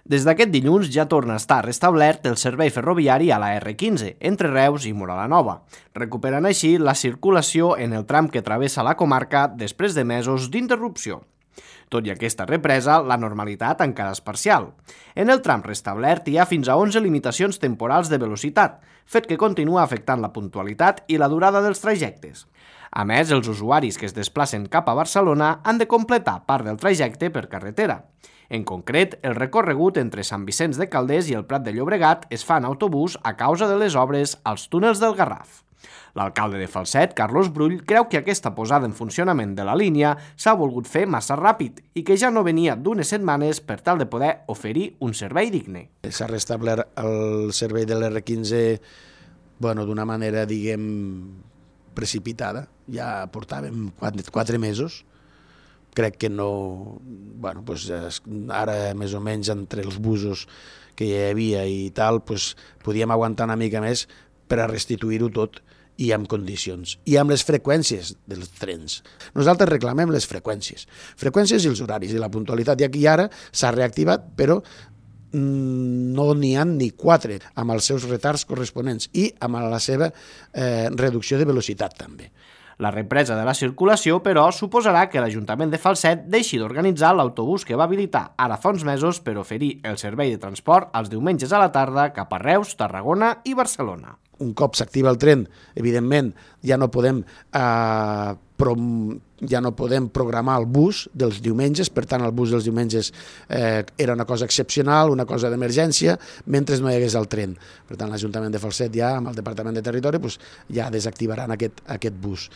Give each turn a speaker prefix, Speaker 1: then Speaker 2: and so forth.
Speaker 1: Des d'aquest dilluns ja torna a estar restablert el servei ferroviari a la R15, entre Reus i Móra la Nova, recuperant així la circulació en el tram que travessa la comarca després de mesos d'interrupció. Tot i aquesta represa, la normalitat encara és parcial. En el tram restablert hi ha fins a 11 limitacions temporals de velocitat, fet que continua afectant la puntualitat i la durada dels trajectes. A més, els usuaris que es desplacen cap a Barcelona han de completar part del trajecte per carretera. En concret, el recorregut entre Sant Vicenç de Calders i el Prat de Llobregat es fa en autobús a causa de les obres als túnels del Garraf. L'alcalde de Falset, Carlos Brull, creu que aquesta posada en funcionament de la línia s'ha volgut fer massa ràpid i que ja no venia d'unes setmanes per tal de poder oferir un servei digne.
Speaker 2: S'ha restablert el servei de l'R15 d'una manera, precipitada. Ja portàvem 4 mesos. Crec que no... ara, més o menys, entre els busos que hi havia i tal, podíem aguantar una mica més per a restituir-ho tot i amb condicions, i amb les freqüències dels trens. Nosaltres reclamem les freqüències i els horaris i la puntualitat, ja que ara s'ha reactivat, però no n'hi ha ni 4 amb els seus retards corresponents i amb la seva reducció de velocitat també.
Speaker 1: La represa de la circulació, però, suposarà que l'Ajuntament de Falset deixi d'organitzar l'autobús que va habilitar ara fa uns mesos per oferir el servei de transport els diumenges a la tarda cap a Reus, Tarragona i Barcelona.
Speaker 2: Un cop s'activa el tren, evidentment, ja no podem programar el bus dels diumenges, per tant el bus dels diumenges era una cosa excepcional, una cosa d'emergència, mentre no hi hagués el tren. Per tant, l'Ajuntament de Falset ja, amb el Departament de Territori, ja desactivaran aquest bus.